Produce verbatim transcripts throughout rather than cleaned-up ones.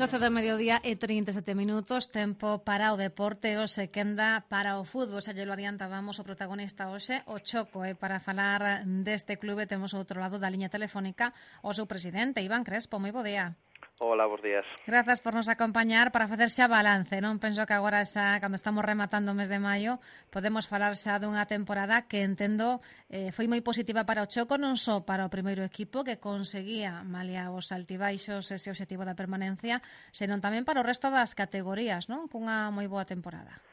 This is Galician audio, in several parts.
doce do mediodía e trinta e sete minutos, tempo para o deporte, hoxe quenda para o fútbol. Xa lle lo adiantábamos, o protagonista hoxe, o Choco, e para falar deste clube temos ao outro lado da liña telefónica o seu presidente, Iván Crespo. Moi bo día. Hola, bons días. Grazas por nos acompañar para facer xa balance, non? Penso que agora xa, cando estamos rematando o mes de maio, podemos falar xa dunha temporada que entendo eh, foi moi positiva para o Choco, non só para o primeiro equipo que conseguía, malia os altibaixos, ese obxectivo da permanencia, senón tamén para o resto das categorías, non? Cunha moi boa temporada.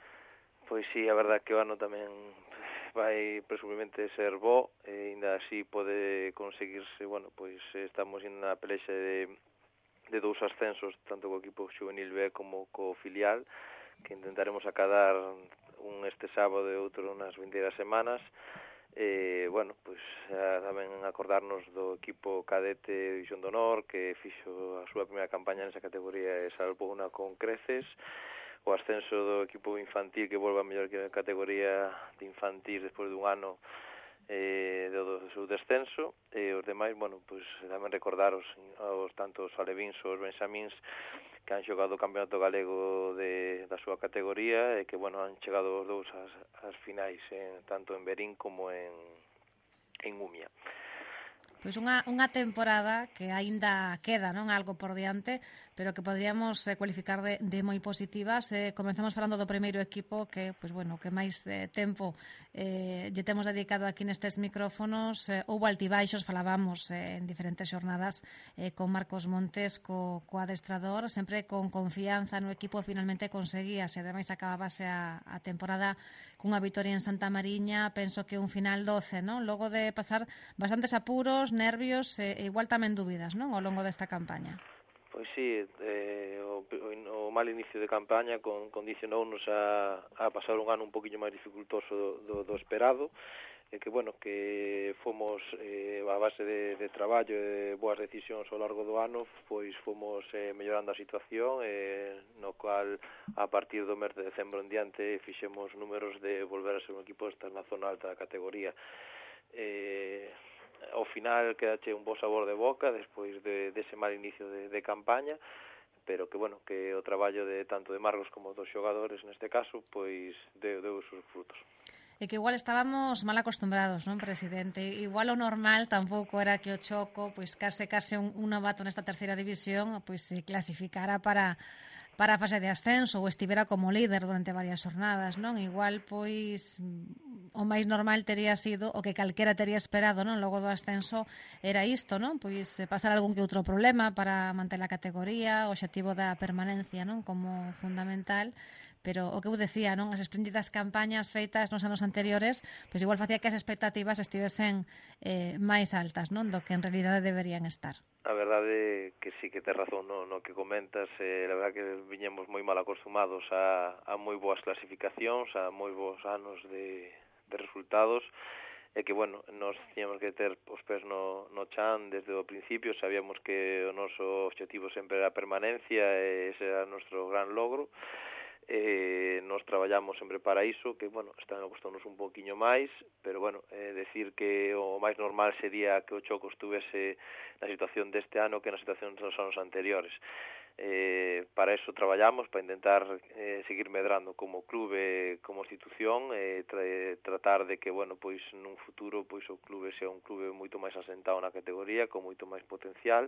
Pois sí, a verdad que o ano tamén vai presumiblemente ser bo, e ainda así pode conseguirse, bueno, pois estamos na pelexa de de dous ascensos, tanto co equipo juvenil B como co filial, que intentaremos acadar un este sábado e outro nas vindeiras semanas. E, bueno, pois tamén acordarnos do equipo cadete División de Honor, que fixo a súa primeira campaña nesa categoría e salvouna con creces. O ascenso do equipo infantil, que volve a mellor categoría de infantil despois dun ano eh, do, do seu descenso, e os demais, bueno, pois tamén recordaros aos tantos alevíns ou os benxamíns que han xogado o campeonato galego de, da súa categoría e que, bueno, han chegado os dous ás, ás finais, en, tanto en Berín como en, en Umia. Pois unha, unha temporada que aínda queda, non, algo por diante, pero que podríamos eh, cualificar de, de moi positivas. Eh, comenzamos falando do primeiro equipo que, pois bueno, que máis eh, tempo eh, lle temos dedicado aquí nestes micrófonos. Eh, houbo altibaixos, falábamos eh, en diferentes xornadas eh, con Marcos Montes, co, co adestrador, sempre con confianza no equipo, finalmente conseguíase, ademais acabábase a, a temporada cunha vitoria en Santa Mariña, penso que un final doce, non? Logo de pasar bastantes apuros, nervios e igual tamén dúbidas, non, ao longo desta campaña. Pois sí, eh, o, o mal inicio de campaña con, condicionounos a, a pasar un ano un poquinho máis dificultoso do, do, do esperado, e que, bueno, que fomos eh, a base de, de traballo e de boas decisións ao largo do ano, pois fomos eh, mellorando a situación, eh, no cual a partir do mes de decembro en diante fixemos números de volver a ser un equipo estar na zona alta da categoría. Eh, ao final quedache un bo sabor de boca despois de, de ese mal inicio de, de campaña, pero que, bueno, que o traballo de tanto de Marcos como dos xogadores neste caso, pois deu, deu os seus frutos. E que igual estábamos mal acostumbrados, non, presidente? Igual o normal tampouco era que o Choco, pois case case un, un novato nesta terceira división, pois se clasificara para para a fase de ascenso ou estivera como líder durante varias jornadas, non? Igual, pois, o máis normal tería sido, o que calquera tería esperado, non? Logo do ascenso era isto, non? Pois pasar algún que outro problema para manter a categoría, o obxectivo da permanencia, non? Como fundamental, pero o que eu decía, non? As espléndidas campañas feitas nos anos anteriores, pois igual facía que as expectativas estivesen eh, máis altas, non? Do que en realidade deberían estar. A verdade que sí que tes razón no, no que comentas, eh, la verdade que viñemos moi mal acostumados a, a moi boas clasificacións, a moi bons anos de, de resultados, e que, bueno, nos tiñamos que ter os pés no, no chan desde o principio. Sabíamos que o noso objetivo sempre era a permanencia e ese era o noso gran logro. Eh, nos traballamos sempre para iso, que, bueno, están a costarnos un poquinho máis, pero, bueno, eh, decir que o máis normal sería que o Choco estuvese na situación deste ano que na situación dos anos anteriores. Eh, para eso traballamos, para intentar eh, seguir medrando como clube, como institución, e eh, tra tratar de que, bueno, pois nun futuro pois o clube sea un clube moito máis asentado na categoría, con moito máis potencial,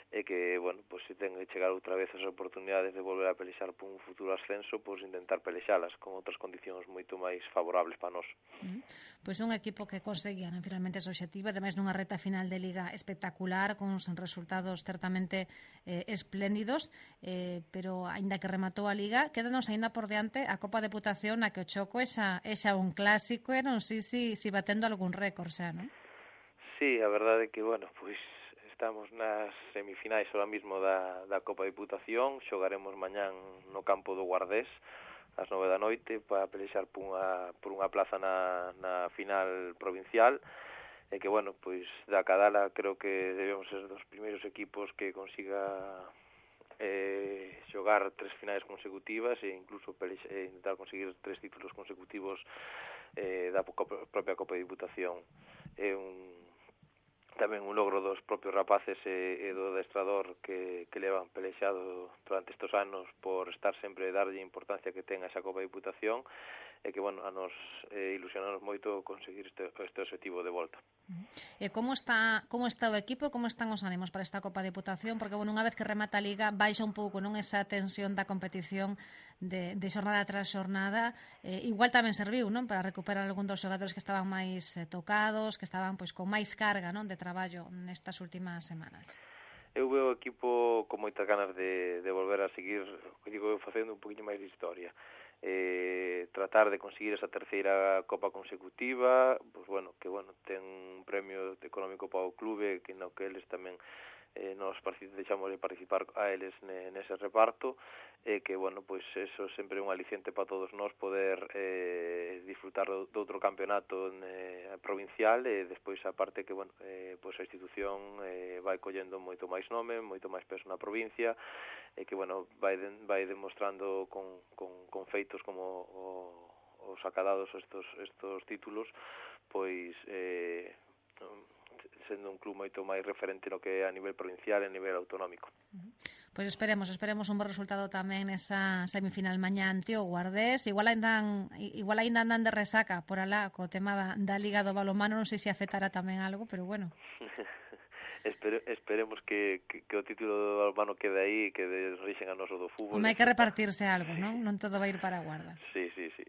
e que, bueno, pois se ten que chegar outra vez as oportunidades de volver a pelexar por un futuro ascenso, pois intentar pelexalas con outras condicións moito máis favorables para nós. Mm. Pois un equipo que conseguían finalmente ese objetivo, ademais nunha reta final de liga espectacular, con uns resultados certamente eh, espléndidos, eh, pero aínda que rematou a liga, quédanos aínda por diante a Copa Deputación, na que o Choco é xa, é xa un clásico, e non sei si, si batendo algún récord xa, non? Sí, a verdade é que, bueno, pois estamos nas semifinais ahora mismo da, da Copa Deputación. Xogaremos mañán no campo do Guardés ás nove da noite para pelexar por unha, por unha plaza na, na final provincial, e que, bueno, pois da Cadala creo que debemos ser dos primeiros equipos que consiga eh, xogar tres finais consecutivas e incluso pelexa, eh, intentar conseguir tres títulos consecutivos eh, da propia Copa de Diputación. É un tamén un logro dos propios rapaces e, e do adestrador que, que levan pelexado durante estes anos por estar sempre darlle importancia que ten a esa Copa de Diputación e que, bueno, a nos eh, ilusionamos moito conseguir este, este objetivo de volta. E como está como está o equipo, como están os ánimos para esta Copa de Diputación? Porque, bueno, unha vez que remata a Liga, baixa un pouco, non, esa tensión da competición de, de xornada tras xornada. Eh, igual tamén serviu, non, para recuperar algún dos xogadores que estaban máis eh, tocados, que estaban pois con máis carga, non, de traballo nestas últimas semanas. Eu veo o equipo con moitas ganas de, de volver a seguir, digo, facendo un poquinho máis de historia. Eh, tratar de conseguir esa terceira Copa consecutiva, pues bueno, que bueno, ten un premio económico para o clube, que no que eles tamén eh, nos deixamos de participar a eles nese reparto, e eh, que, bueno, pois pues eso sempre é un aliciente para todos nós poder eh, disfrutar do, do outro campeonato eh, provincial, e despois a parte que, bueno, eh, pois pues a institución eh, vai collendo moito máis nome, moito máis peso na provincia, e que, bueno, vai, de, vai demostrando con, con, con feitos como o, os acadados estos, estos títulos, pois eh, sendo un club moito máis referente no que é a nivel provincial e a nivel autonómico. Pois esperemos, esperemos un bo resultado tamén nesa semifinal mañá ante o Guardés. Igual ainda igual ainda andan de resaca por alá co tema da, da Liga do Balonmano, non sei se afectará tamén algo, pero bueno. Espere, esperemos que, que, que o título do balonmano quede aí e que desrixen a noso do fútbol. Home, hai que repartirse algo, non? Non todo vai ir para a Guarda. Sí, sí, sí.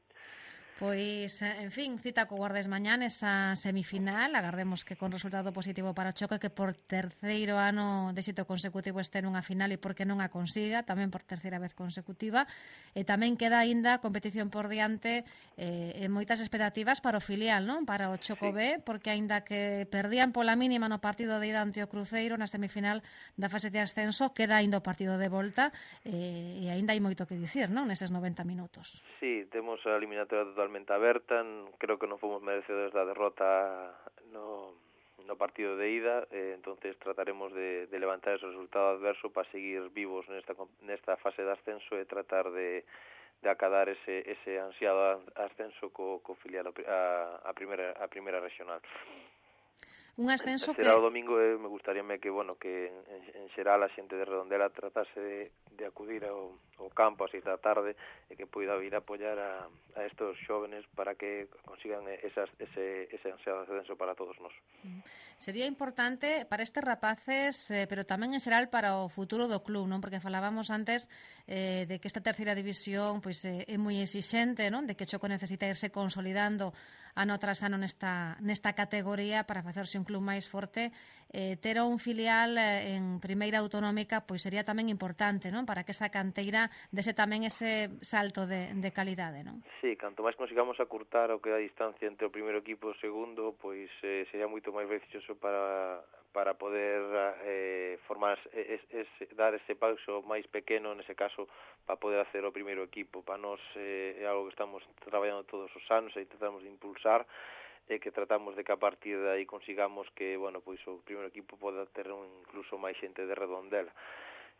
Pois, en fin, cita co Guardés mañá nesa semifinal. Agardemos que con resultado positivo para o Choque, que por terceiro ano de éxito consecutivo este nunha final e porque non a consiga, tamén por terceira vez consecutiva. E tamén queda aínda competición por diante eh, e moitas expectativas para o filial, non? Para o Choco sí. B, porque aínda que perdían pola mínima no partido de ida ante o Cruzeiro na semifinal da fase de ascenso, queda aínda o partido de volta eh, e aínda hai moito que dicir, non? Neses noventa minutos. Sí, temos a eliminatoria totalmente aberta. Creo que non fomos merecedores da derrota no, no partido de ida, eh, entonces trataremos de, de levantar ese resultado adverso para seguir vivos nesta, nesta fase de ascenso e tratar de, de acadar ese, ese ansiado ascenso co, co filial a, a, primeira, a primeira regional. Un ascenso que... Será o domingo e me gustaríame que, bueno, que en, en xeral a xente de Redondela tratase de, de acudir ao, ao campo a seis da tarde e que poida vir a apoiar a, a estos xóvenes para que consigan esas, ese, ese ansiado ascenso para todos nós. Sería importante para estes rapaces, eh, pero tamén en xeral para o futuro do club, non? Porque falábamos antes eh, de que esta terceira división pois, eh, é moi exixente, non? De que o Choco necesita irse consolidando ano tras ano nesta, nesta categoría para facerse un club máis forte. Eh, ter un filial eh, en primeira autonómica pois sería tamén importante, non? Para que esa canteira dese tamén ese salto de, de calidade, non? Sí, canto máis consigamos acurtar o que é a distancia entre o primeiro equipo e o segundo, pois eh, sería moito máis beneficioso para para poder eh, formar es, es, dar ese paso máis pequeno nese caso para poder hacer o primeiro equipo. Para nós eh, é algo que estamos traballando todos os anos e tratamos de impulsar, e que tratamos de que a partir de aí consigamos que, bueno, pois o primeiro equipo poda ter un, incluso máis xente de Redondela.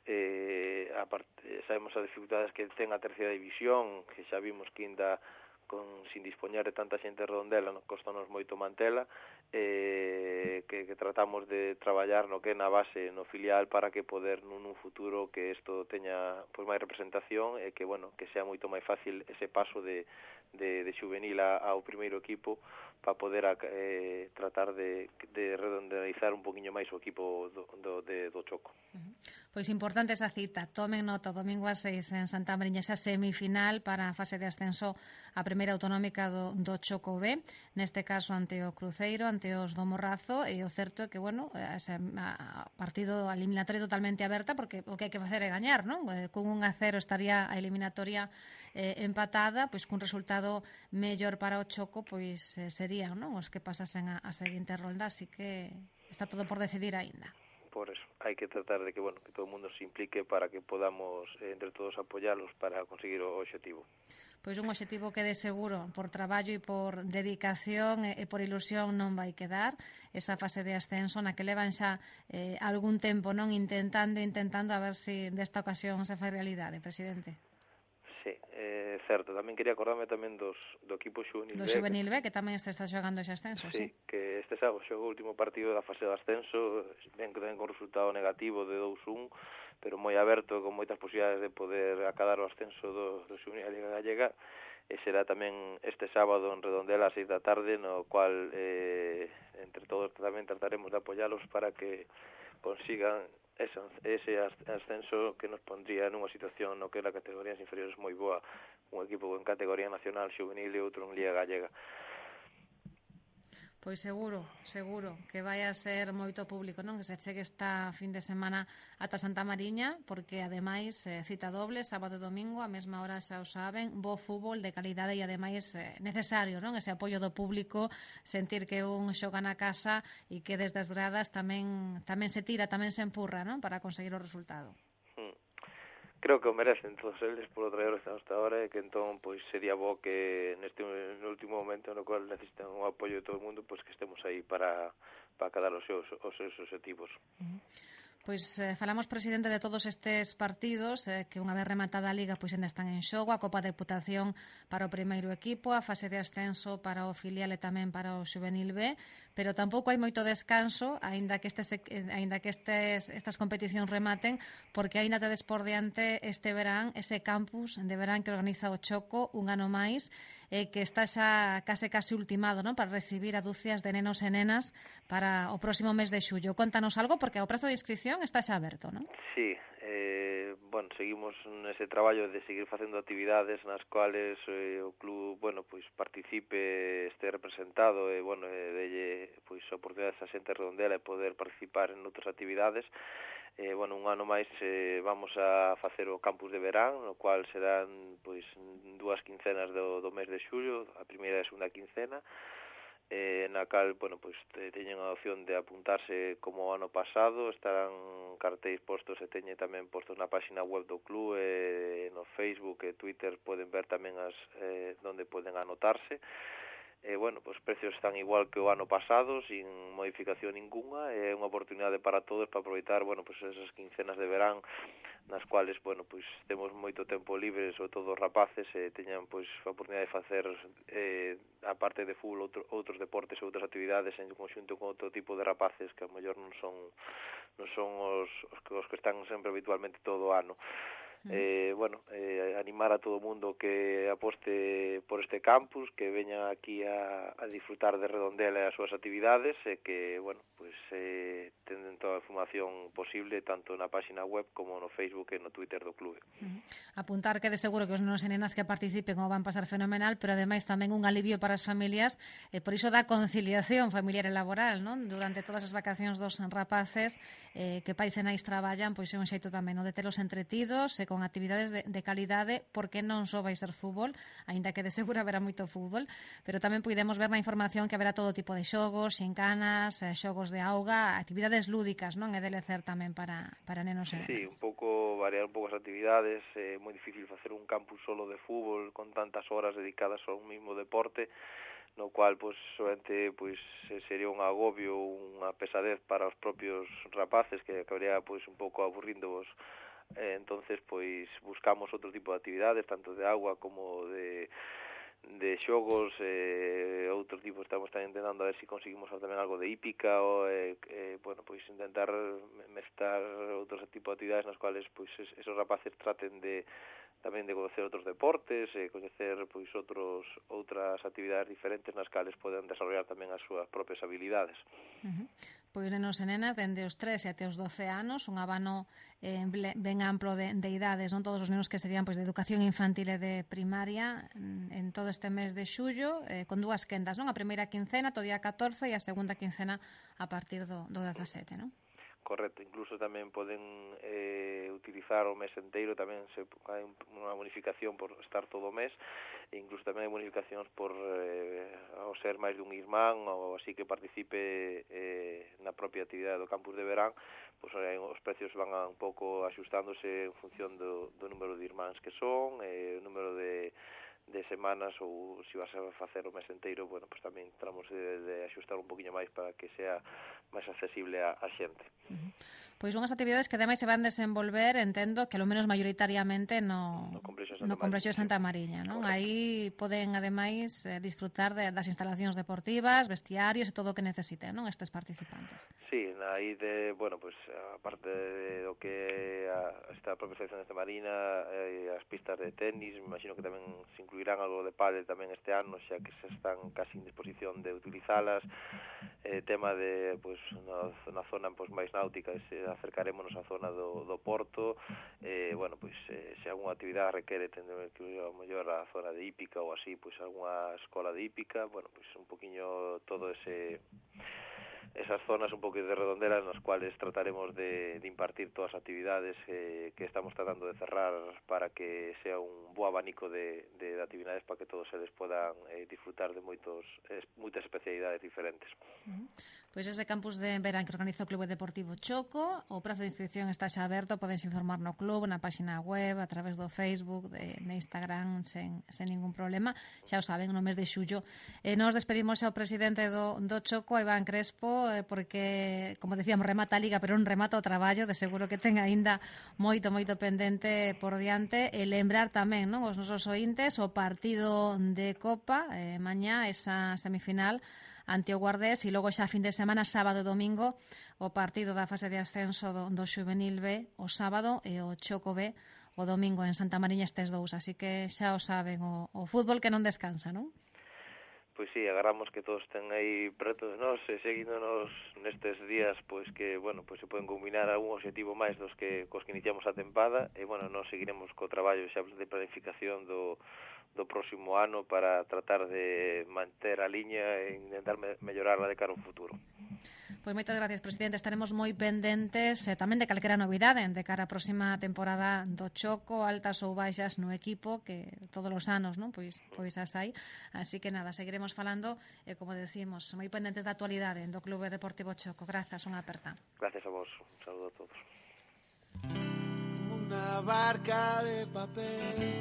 Eh, aparte, sabemos as dificultades que ten a terceira división, que xa vimos que ainda con, sin dispoñer de tanta xente de Redondela, nos costanos moito mantela, eh, que, que tratamos de traballar no que é na base, no filial, para que poder nun, nun futuro que isto teña pois máis representación e que, bueno, que sea moito máis fácil ese paso de, de, de juvenil a, ao primeiro equipo para poder eh, tratar de, de redondeizar un poquinho máis o equipo do, do, de, do Choco. Uh-huh. Pois importante esa cita. Tomen nota, domingo a seis en Santa Mariña, esa semifinal para a fase de ascenso a primeira autonómica do, do Choco B, neste caso ante o Cruzeiro, ante os do Morrazo, e o certo é que, bueno, ese a partido eliminatoria totalmente aberta, porque o que hai que facer é gañar, non? Con un a cero estaría a eliminatoria eh, empatada, pois cun resultado mellor para o Choco, pois eh, serían, non, os que pasasen a, a seguinte rolda, así que está todo por decidir aínda. Por eso, hai que tratar de que, bueno, que todo o mundo se implique para que podamos, eh, entre todos, apoialos para conseguir o objetivo. Pois un objetivo que de seguro por traballo e por dedicación e por ilusión non vai quedar, esa fase de ascenso na que levan xa eh, algún tempo non intentando intentando a ver se si desta ocasión se fai realidade, presidente. Sí, é certo. Tamén quería acordarme tamén dos, do equipo Xuvenil Do B. Xuvenil B, que tamén está, está xogando ese ascenso, sí. Sí, que este sábado xogou o último partido da fase de ascenso, ben que ten con resultado negativo de dous un, pero moi aberto, con moitas posibilidades de poder acadar o ascenso do, do Xuvenil a Liga Gallega, e será tamén este sábado en Redondela ás seis da tarde, no cual eh, entre todos tamén trataremos de apoialos para que consigan ese, ese ascenso que nos pondría nunha situación no que las categorías inferiores moi boa, un equipo en categoría nacional xuvenil e outro en Liga Gallega. Pois seguro, seguro que vai a ser moito público, non? Que se chegue esta fin de semana ata Santa Mariña, porque ademais eh, cita doble, sábado e domingo, a mesma hora xa o saben, bo fútbol de calidade e ademais eh, necesario, non? Ese apoio do público, sentir que un xoga na casa e que desde as gradas tamén tamén se tira, tamén se empurra, non? Para conseguir o resultado. Creo que o merecen todos eles polo traballo que están hasta ahora e que entón pois sería bo que neste no último momento no cual necesitan o apoio de todo o mundo, pois que estemos aí para para cadar os seus os seus objetivos. Uh-huh. Pois eh, falamos, presidente, de todos estes partidos eh, que unha vez rematada a Liga pois ainda están en xogo, a Copa Deputación para o primeiro equipo, a fase de ascenso para o filial e tamén para o Xuvenil B, pero tampouco hai moito descanso, aínda que estes aínda que estes estas competicións rematen, porque aínda tedes por diante este verán ese campus de verán que organiza o Choco un ano máis, eh, que está xa case case ultimado, non, para recibir a dúcias de nenos e nenas para o próximo mes de xullo. Contanos algo, porque o prazo de inscripción está xa aberto, non? Sí, eh, bueno, seguimos nese traballo de seguir facendo actividades nas cuales eh, o club, bueno, pois participe, este representado e, bueno, e delle pois oportunidades a xente redondela e poder participar en outras actividades. Eh, bueno, un ano máis eh, vamos a facer o campus de verán, no cual serán pois dúas quincenas do, do mes de xullo, a primeira e a segunda quincena, eh, na cal, bueno, pois teñen a opción de apuntarse como o ano pasado, estarán cartéis postos e teñen tamén postos na página web do club e no Facebook e Twitter poden ver tamén as eh, onde poden anotarse. Eh, bueno, pues, os precios están igual que o ano pasado, sin modificación ninguna, é unha oportunidade para todos para aproveitar, bueno, pues, esas quincenas de verán nas cuales, bueno, pues, temos moito tempo libre, sobre todo os rapaces, e teñan, pues, a oportunidade de facer, eh, a parte de fútbol, outro, outros deportes e outras actividades en conxunto con outro tipo de rapaces que a mellor non son non son os, os, que, os que están sempre habitualmente todo o ano. Eh, bueno, eh, animar a todo o mundo que aposte por este campus, que veña aquí a, a disfrutar de Redondela e as súas actividades e que, bueno, pues eh, tenden toda a información posible tanto na página web como no Facebook e no Twitter do clube. Uh-huh. Apuntar que de seguro que os nenos e nenas que participen o van pasar fenomenal, pero ademais tamén un alivio para as familias, e por iso da conciliación familiar e laboral, non? Durante todas as vacacións dos rapaces eh, que pais e nais traballan, pois é un xeito tamén, non? De telos entretidos e con actividades de, de calidade, porque non só vai ser fútbol, aínda que de seguro haberá moito fútbol, pero tamén podemos ver na información que haberá todo tipo de xogos, xincanas, xogos de auga, actividades lúdicas, non? É de lecer tamén para, para nenos e nenas. Sí, un pouco, variar un pouco as actividades, é moi difícil facer un campus solo de fútbol con tantas horas dedicadas a un mismo deporte, no cual, pois, somente, pois, sería un agobio, unha pesadez para os propios rapaces que acabaría, pois, un pouco aburríndoos. Eh, entonces, pois, buscamos outro tipo de actividades, tanto de agua como de de xogos, eh, outro tipo, estamos tamén intentando a ver se si conseguimos tamén algo de hípica ou, eh, eh, bueno, pois intentar mestar outros tipos de actividades nas cuales, pois, esos rapaces traten de tamén de conocer outros deportes, e coñecer, pois, outros outras actividades diferentes nas cales poden desarrollar tamén as súas propias habilidades. Uh-huh. Pois nenos e nenas dende os tres e até os doce anos, un abano eh, ben amplo de, de idades, non todos os nenos que serían pois de educación infantil e de primaria en, en todo este mes de xullo, eh, con dúas quendas, non? A primeira quincena, todo día catorce, e a segunda quincena a partir do, do dezasete, non? Correcto, incluso tamén poden eh, utilizar o mes enteiro, tamén se hai unha bonificación por estar todo o mes, e incluso tamén hai bonificacións por eh, ao ser máis dun irmán ou así que participe eh, na propia actividade do campus de verán, pois eh, os precios van a, un pouco axustándose en función do, do número de irmáns que son, e o número de de semanas ou se vas a facer o mes inteiro, bueno, pues tamén tramos de, de axustar un poquinho máis para que sea máis accesible a, a xente. Uh-huh. Pois unhas actividades que ademais se van desenvolver, entendo, que lo menos maioritariamente no, no Complexo de no Santa Complexo de Santa Mariña, non? Aí poden, ademais, eh, disfrutar de, das instalacións deportivas, vestiarios e todo o que necesiten, non, estes participantes. Sí, aí de, bueno, pues aparte de do que a, esta propia sección de Santa Marina, eh, as pistas de tenis, me imagino que tamén se incluirán algo de pádel tamén este ano, xa que se están casi en disposición de utilizalas. Eh, tema de, pues, na, na zona pues, máis náutica, se acercarémonos á zona do, do Porto, eh, bueno, pois, pues, eh, se alguna actividade requere tender que ir ao mellor a zona de hípica ou así, pois, pues, alguna escola de hípica, bueno, pois, pues, un poquinho todo ese esas zonas un pouco de redonderas nas cuales trataremos de, de impartir todas as actividades eh, que estamos tratando de cerrar para que sea un bo abanico de, de, de actividades para que todos eles podan eh, disfrutar de moitos eh, moitas especialidades diferentes. Uh-huh. Pois ese campus de verán que organiza o Clube Deportivo Choco, o prazo de inscripción está xa aberto, podense informar no club, na página web, a través do Facebook, de, de Instagram, sen, sen ningún problema. Xa o saben, no mes de xullo. Eh, nos despedimos ao presidente do, do Choco, Iván Crespo, eh, porque, como decíamos, remata a Liga, pero non remata o traballo, de seguro que ten aínda moito, moito pendente por diante, e lembrar tamén, non, os nosos ointes, o partido de Copa, eh, mañá, esa semifinal, ante o Guardés, e logo xa fin de semana, sábado e domingo, o partido da fase de ascenso do, do Xuvenil B o sábado e o Choco B o domingo en Santa Mariña, estes dous, así que xa o saben, o, o fútbol que non descansa, non? Pois sí, agarramos que todos ten aí preto de nós e seguíndonos nestes días, pois que, bueno, pois se poden combinar algún objetivo máis dos que cos que iniciamos a tempada e, bueno, nós seguiremos co traballo xa de planificación do do próximo ano para tratar de manter a liña e intentar me mellorarla de cara ao futuro. Pois moitas gracias, presidente. Estaremos moi pendentes eh, tamén de calquera novidade de cara á próxima temporada do Choco, altas ou baixas no equipo, que todos os anos, non? Pois pois as hai. Así que nada, seguiremos falando e, eh, como decimos, moi pendentes da actualidade do Clube Deportivo Choco. Grazas, unha aperta. Gracias a vos. Un saludo a todos. Una barca de papel